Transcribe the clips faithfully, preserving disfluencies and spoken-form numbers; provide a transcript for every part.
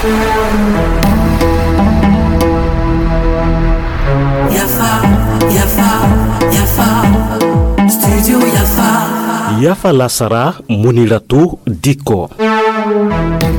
Yafa, yafa, yafa. Studio yafa. Yafa lasara, Muniratu Dikko.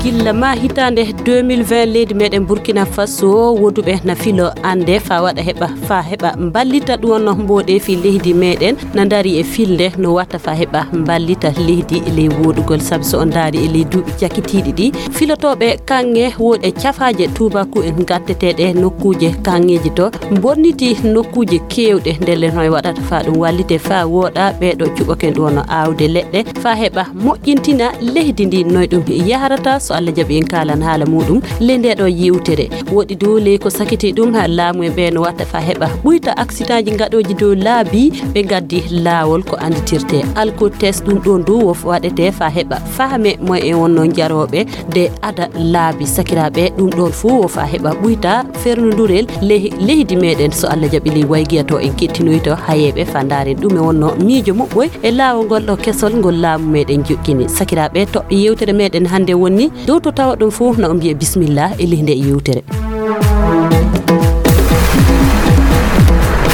Gilla ma hitaande deux mille vingt, leydi meɗen Burkina Faso, woduɓe na filo annde fa waɗa heɓa, fa heɓa mballita ɗum wonno mboɗeefi leydi meɗen na dari e filde no watta fa heɓa mballita leydi e ley woɗugol. Sabi so on ndaari e ley duuɓi cakitiiɗi ɗi, filotooɓe kaŋŋe woɗe cafaaje tuubaku en gatteteeɗe nokkuuje kaŋŋeeji to bonniti nokkuuje keewɗe. Ndelle noy waɗata fa ɗum wallite fa wooɗa ɓeeɗo cuɓoken ɗum wonno aawde leɗɗe fa heɓa moƴƴintina leydi ndi noy ɗum yahrata. So Allah jaɓi en kaalan haala muɗum ley nde ɗo yewtere. Woɗi dow ley ko sakiti ɗum ha laamu en ɓe no watta fa heɓa ɓuyta aksitaaji gaɗooji dow laabi ɓe gaddi laawol ko annditirte alkotest. Ɗum ɗon dow wo waɗete fa heɓa fahme mo e wonno jarooɓe de ada laabi sakiraaɓe. Ɗum ɗon fuu wo fa heɓa ɓuyta fernudurel ley leydi meɗen. So Allah jaɓi ley waygiya to en kettinoyto hayeeɓe fa ndaaren ɗum e wonno miijo moɓɓoy e laawol ngol ɗo kesol ngol laamu meɗen jokkini. Sakiraaɓe toɓɓe yewtere meɗen hannde wonni dow to tawa ɗum fuu na o mbiya bismillah e ley nde yewtere.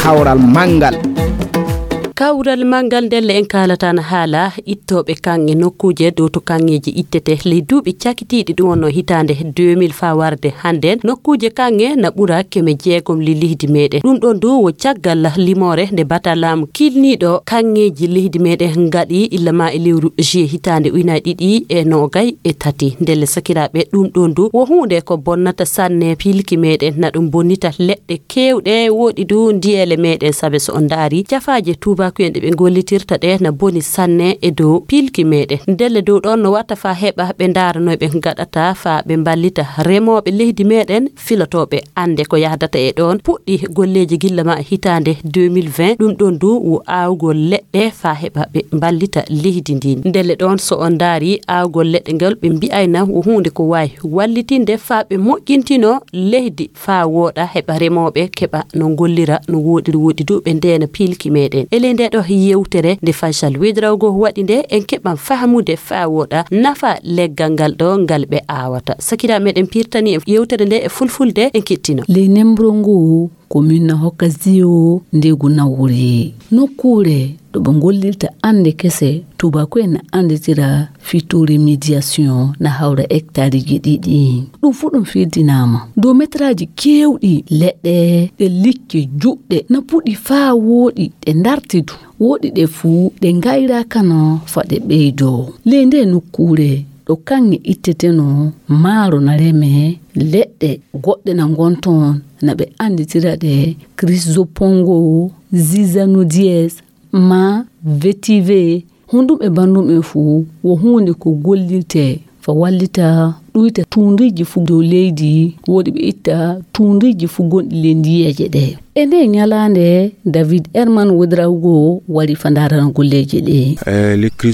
Kawral manngal. Kawral manngal ndelle en kaalata na haala ittooɓe kaŋŋe nokkuuje dow to kaŋŋeeji ittete ley duuɓi cakitiiɗi ɗum wonno hitaande deux mille fa warde hannden nokkuuje kaŋŋe na ɓura keme jeegom li leydi meɗen. Ɗum ɗon dow wo caggal limoore nde bata laamu kilniiɗo kaŋŋeeji leydi meɗen ngaɗi illa ma e lewru juillet hitaande ujunaaji ɗiɗi e noogay e tati. Ndelle sakiraaɓe ɗum ɗon dow wo huunde ko bonnata sanne pilki meɗen na ɗum bonnita leɗɗe keewɗe woɗi dow ndiyeele meɗen. Sabe so on ndaari cafaaje tuubakuyen ɗe ɓe gollitirta ɗe na boni sanne e dow pilki meɗen. Ndelle dow ɗon no watta fa heɓa ɓe ndaara noy ɓe ngaɗata fa ɓe mballita remooɓe leydi meɗen filotooɓe annde ko yahdata e ɗon puɗɗi golleeji gilla ma hitaande deux mille vingt. Ɗum ɗon dow wo aawgol leɗɗe fa heɓa ɓe mballita leydi ndin. Ndelle ɗon so on ndaari aawgol leɗɗe ngal ɓe mbi'ayna wo huunde ko waawi wallitinde fa ɓe moƴƴintino leydi fa wooɗa heɓa remooɓe keɓa no ngollira no woɗiri woɗi dow ɓe ndeena pilki meɗen. E ley nde ɗo yewtere nde Faisal Wedrawgo waɗi nde en keɓan fahmude fa wooɗa nafa leggal ngal ɗo ngal ɓe aawata. Sakiraaɓe meɗen pirtani en yewtere nde e fulfulde en kettino. Ley nembro ngu ko min na hokka ziyo ndegu nawori. Nokkuure ɗo ɓe ngollirta annde kese tubaku en na annditira fittori médiation na hawra hectareji ɗiɗi. Ɗum fuu ɗum firdinaama dow metraaji keewɗi leɗɗe ɗe likke juɗɗe na puɗi faa wooɗi ɗe ndarti du. Wooɗi ɗe fuu ɗe ngayraakano fa ɗe ɓeydoo. Ley nde nokkuure ɗo kaŋŋe itteteno maaro na reme leɗɗe goɗɗe na ngonton na ɓe annditira ɗe crisopongo, zizanodies, ma vetive. Honɗum e banndum en fuu wo huunde ko gollirte fa wallita ɗuyta tuundiiji fuu dow leydi woɗi ɓe itta tuundiiji fuu gonɗi ley ndiyeeje ɗe. E nde ñalaande david herman wodrago wari fa ndaarana golleeje ɗe.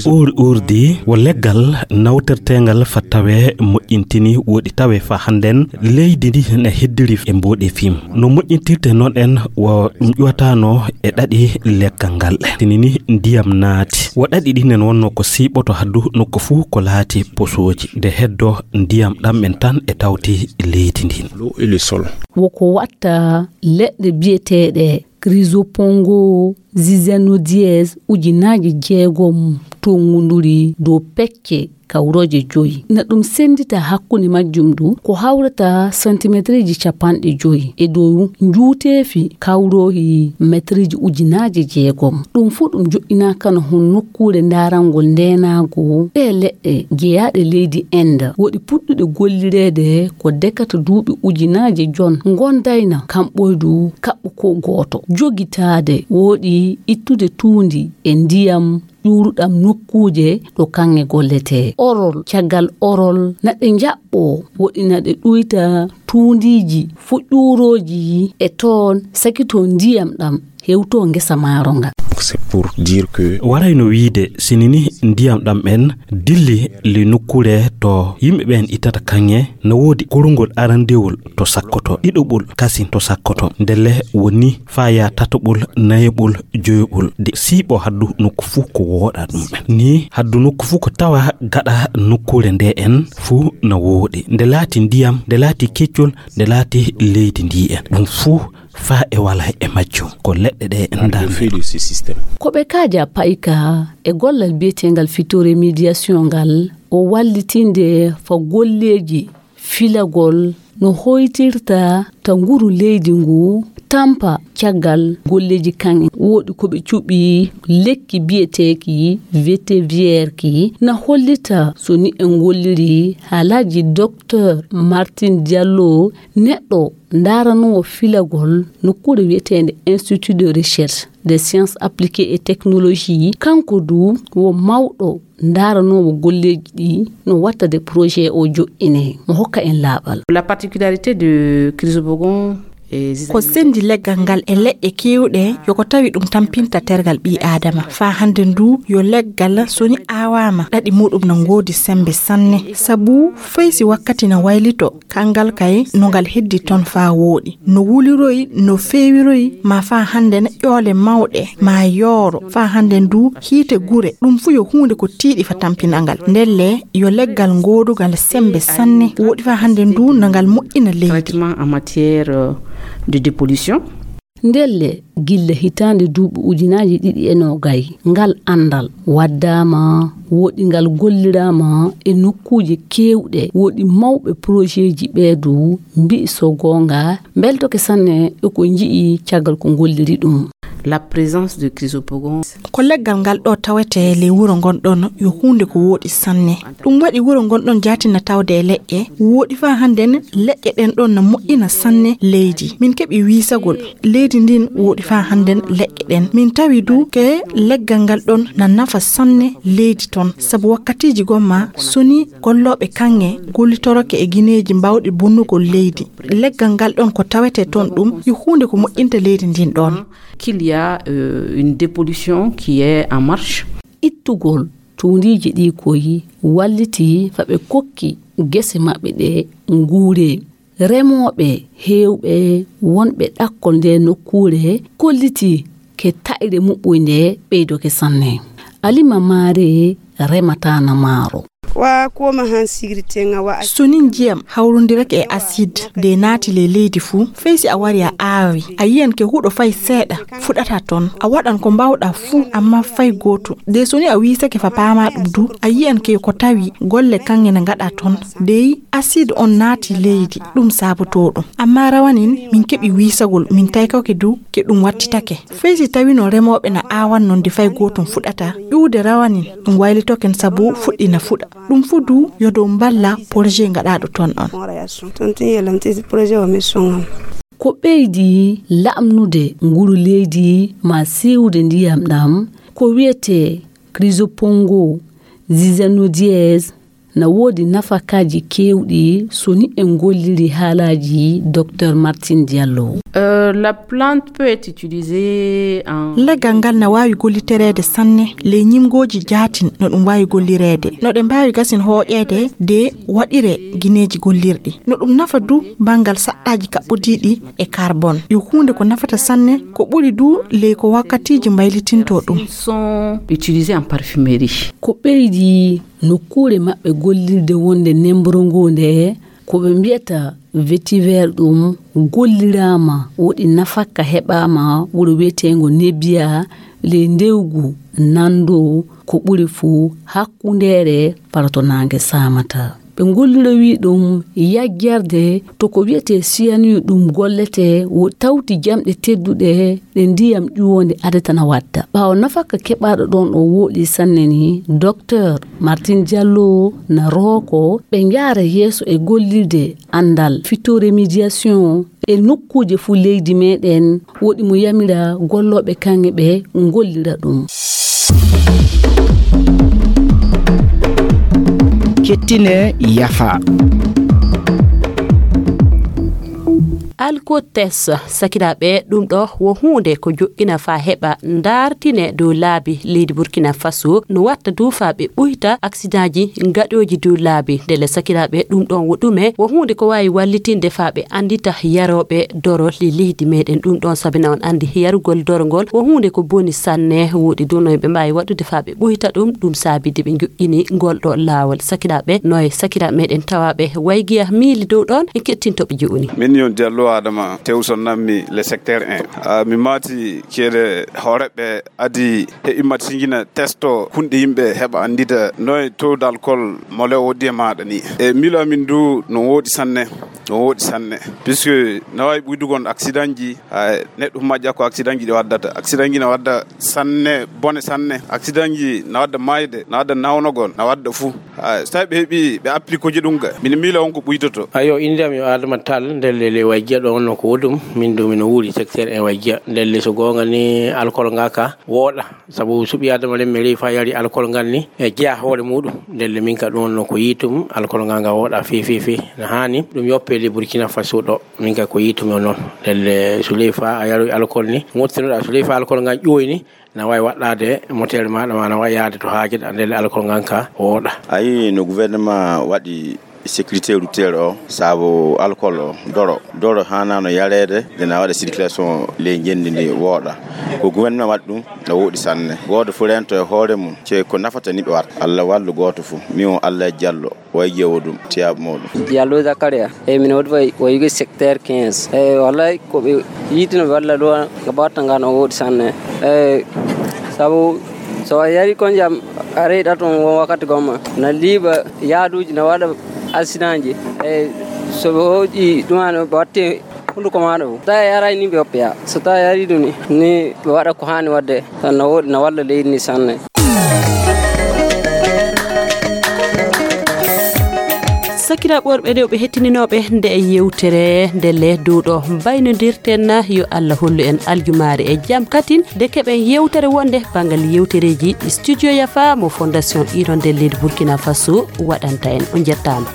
Ur urdi wo leggal nawterteengal fa tawe moƴƴintini woɗi tawe fa hannden leydi ndi ne heddiri e mboɗe fim no moƴƴintirte noon en wo ɗum ƴuwatano e ɗaɗi leggal ngal tinini ndiyam naati wo ɗaɗi ɗinen wonno ko siiɓoto haddu nokku fuu ko laati posooji nde heddo ndiyam ɗam en tan e tawti leydi ndin. Woko watta leɗɗe biyeteeɗe crisopongo zizanodies ujunaaji jeegom tongunduri dow pecce kawrooje joyi na ɗum senndita hakkunde majjum du ko hawrata santimetriji capanɗe joyi e dow njuuteefi kawroohi metriji ujunaaje jeegom. Ɗum fuu ɗum joɗɗinaakano hon nokkuure ndaarangol ndeenaago ɗe leɗɗe jeyaaɗe leydi enda woɗi puɗɗuɗe gollireede ko dekata duuɓi ujunaaje jon ngondayna kamɓoydu kaɓɓo ko gooto jogitaade wooɗi ittude tuundi e ndiyam ƴuuruɗam nokkuuje ɗo kaŋŋe golletee orol caggal orol na ɗe njaɓɓoo woɗina ɗe ɗuyta tuundiiji fuƴƴuurooji e toon sakito ndiyam ɗam hewto ngesa maaro nga. C'est pour dire que warayno wiide, sini ni ndiyam ɗam en dilli le nokkuure to yimɓe ɓen ittata kaŋŋe, no woodi kurungol arandewol to sakkoto, ɗiɗoɓol kasin to sakkoto. Ndelle woni faa yaa tatoɓol, nayeɓol, joyoɓol. De siiɓo haddu nokku fuu ko wooɗa ɗum en. Ni haddu nokku fuu ko tawa gaɗa nokkuure nde en fuu no wooɗi. Nde laati ndiyam, nde laati keccol, nde laati leydi ndi en. Ɗum fuu faa e wala e majjum. Ko leɗɗe ɗe en ndarni. Ko ɓe kaaja payka e gollal biyeteengal phytorémédiation ngal, o wallitinde fa golleeji filagol no hoytirta ta nguru leydi ngu tampa caggal golleeji kan. Woodi ko ɓe cuɓi lekki biyeteeki vetiver ki na hollita so ni en golliri haalaaji Docteur Martin Diallo, neɗɗo ndaaranoowo filagol nokkuure wiyeteende Institut de Recherche des Sciences Appliquées et Technologies. Kanko du wo mawɗo ndaaranoowo golleeji ɗi no watta de projet o joƴƴine. Mo hokka en laaɓal. La particularité de Chrysopogon, eh, ko sendi leggal ngal e leɗɗe keewɗe, yo ko tawi ɗum tampinta tergal ɓii Aadama. Faa hannde ndu yo leggal so ni aawaama, ɗaɗi muɗum no ngoodi sembe sanne. Sabu fay si wakkati na waylito, kangal kay no ngal heddi toon faa wooɗi. No wuliroyi, no feewiroyi, ma faa hannde ne ƴoole mawɗe, ma yooro, faa hannde ndu hiite gure. Ɗum fuu yo huunde ko tiiɗi fa tampinangal. Ndelle yo leggal ngoodugal sembe sanne, wooɗi faa hannde ndu no ngal moƴƴina leydi. Traitement en matière, euh, de dépollution. Ndelle gilla hitaande duuɓi ujunaaji ɗiɗi e noogay, ngal anndal waddaama, woɗi ngal golliraama e nokkuuje keewɗe, woɗi mawɓe projetji ɓee du mbi'i so goonga, mbeltoke sanne e ko nji'i caggal ko ngolliri ɗum. La présence de Chrysopogon. Ko leggal ngal ɗo tawete ley wuro ngon ɗon yo huunde ko wooɗi sanne. Ɗum waɗi wuro ngon ɗon jaatina tawde e leƴƴe, wooɗi faa hannden leƴƴe ɗen ɗon na moƴƴina sanne leydi. Min keɓi wiisagol leydi ndin wooɗi faa hannden leƴƴe ɗen. Min tawi du ke leggal ngal ɗon na nafa sanne leydi ton. Sabu wakkatiiji gomma so ni gollooɓe kaŋŋe gollitoroke e gineeji mbaawɗi bonnugol leydi. Leggal ngal ɗon ko tawete ton ɗum yo huunde ko moƴƴinta leydi ndin ɗon. Qu'il y a, euh, une dépollution qui est en marche. Ittugol tuundiiji ɗi koyi walliti fa ɓe kokki gese maɓɓe ɗe nguure. Remooɓe heewɓe wonɓe ɗakkol nde nokkuure kolliti ke taƴre muɓɓoynde ɓeydoke sanne. Alima maare remataana maaro. Wa koma han sigiri tenga wa. So ni njiyam hawrondirake e acide de naati ley leydi fuu, fay si a wari a aawi, a yiyan ke huɗo fay seeɗa fuɗata ton. A waɗan ko mbaawɗa fuu, amma fay gooto. De so ni a wiisake fa paama ɗum du, a yiyan ke ko tawi golle kaŋŋe na ngaɗa ton. Dey acide on naati leydi, ɗum saabotoo ɗum. Amma rawanin min keɓi wiisagol, min taykake du ke ɗum wattitake. Fay si tawino remooɓe na aawan non de fay gootum fuɗata, ƴuude rawanin ɗum waylitoken sabu fuɗɗi na fuɗa. Ɗum fuu du yo dow mballa projet ngaɗaaɗo ton on. Ton tun yelanti projet o mi songam. Ko ɓeydi laamnude nguru leydi ma siwde ndiyam ɗam, ko wiyetee Chrysopongo zizanodies, na woodi nafakaaji keewɗi so ni en golliri haalaaji Docteur Martin Diallo. Euh, la plante peut être utilisée en. Leggal ngal na waawi gollitereede sanne ley ñimngooji jaatin no ɗum waawi gollireede. No ɗe mbaawi gasin hooƴeede de waɗire gineeji gollirɗi. No ɗum nafa du banngal saɗɗaaji kaɓɓodiiɗi e carbone. Yo huunde ko nafata sanne, ko ɓuri du ley ko wakkatiiji mbaylitinto ɗum. Sont utilisés en parfumerie. Ko ɓeydi nokkuure maɓɓe gollirde wonde nemmboro ngoo nde, ko ɓe mbiyata vetiver ɗum golliraama, woɗi nafakka heɓaama wuro wiyeteengo Nebiya ley ndewgu nanndo ko ɓuri fuu hakkundeere fara to naange saamata. Ɓe ngollirowii ɗum yajjerde to ko wiyetee cyanure ɗum golletee wo tawti jamɗe tedduɗe ɗe ndiyam ƴuwoonde adata na wadda. Ɓaawo nafakka keɓaaɗo ɗon o wooɗi sanne ni, Docteur Martin Diallo na rooko ɓe njaara yeeso e gollirde anndal phytoremédiation e nokkuuje fuu leydi meɗen, woɗi mo yamira gollooɓe kaŋŋe ɓe ngollira ɗum. Kettine yafa. Alkotes, sakiraaɓe, ɗum ɗo wo huunde ko joƴƴina faa heɓa ndaartine dow laabi leydi Burkina Faso, no watta du faa ɓe ɓuyta aksidaji gaɗooji dow laabi. Ndelle sakiraaɓe, ɗum ɗon wo ɗume? Wo huunde ko waawi wallitinde faa ɓe anndita yarooɓe doro le leydi meɗen. Ɗum ɗon sabina on anndi yarugol doro ngol wo huunde ko boni sanne. Woodi du no ɓe mbaawi waɗude faa ɓe ɓuyta ɗum, ɗum saabide ɓe joƴƴini ngol ɗo laawol. Sakiraaɓe, no e sakiraaɓe meɗen tawaaɓe Waygiya miili dow ɗon, en kettinto ɓe jooni. Min yon Diallo Adama Tewson nammi le secteur un. Ah, mi maati ceede hooreɓe adi he immat singina testo hunde yimɓe heɓa anndita noye taux d'alcool mo lew woddi e maaɗa ni. E miilo amin du no woodi sanne, no woodi sanne. Puisque na waawi ɓuydugon accident ji, hay neɗɗo humma ƴakko accident ji ɗi waddata. Accident ji na wadda sanne, bone sanne. Accident ji na wadda maayde, na wadda nawnogol, na wadda fuu. Hay so tawi ɓe heɓi, ɓe applique ji ɗum ga. Min miila on ko ɓuytoto. Ayo, innde am yo Adama Tall, nder lele Wayjiya ɗo wonno ko woɗɗum. Min du mino wuuri secteur un Wayjiya. Ndelle so goonga ni alkol nga ka wooɗa. Sabu suɓi Adama ren mi rewi faa yari alkol ngal ni e jeya hoore muɗum. Ndelle min ka ɗum wonno ko yiitum alkol nga nga wooɗa fe, fe, fe. Na haani ɗum yoppe le Burkina Faso ɗo. Min ka ko yiitum o noon. Ndelle so lewi faa a yaroy alkol ni, mottinoɗa so lewi faa alkol ngal ƴooyi ni, na waawi waɗɗaade motel maaɗa, ma na waawi yahde to haajeɗa, ndelle alkol ngal ka wooɗa. A yii no gouvernement waɗi sécurité routière o, sabu alkol o, doro. Doro haanaano yareede, nde na waɗa circulation ley ngenndi ndi wooɗa. Ko gouvernement waɗi ɗum, na wooɗi sanne. Gooto fof rento e hoore mum, ce ko nafata ni ɓe waɗa. Allah wallu gooto fof. Min o Allah Jallo, way ƴeewo ɗum, tiyaaɓe muɗum. Diallo Zakaria, e min wodi way, way yugi secteur quinze. E wallahi ko ɓe yiitino ɓe walla ɗo, ko batta ngan o wooɗi sanne. E sabu so a yari kon jam, a reyɗa ton won wakkati gomma. Na liiɓa yaaduuji, na waɗa accident ji. E so ɓe hooƴi ɗum an, ɓe watti hunduko maaɗa fof. So tawi a yaray ni ɓe oppeya. So tawi a yari ɗum ni, ni ɓe waɗa ko haani waɗde. Tan na wooɗi, na walla leydi ni sanne. Sakiraaɓe worɓe e rewɓe hettininooɓe nde e yewtere nde le dow ɗo mbaynodirten, yo Allah hollu en aljumaare e jam katin nde keɓen yewtere wonde banngal yewtereeji Studio Yafa mo Fondation Iron nde leydi Burkina Faso waɗanta en. On njettaama.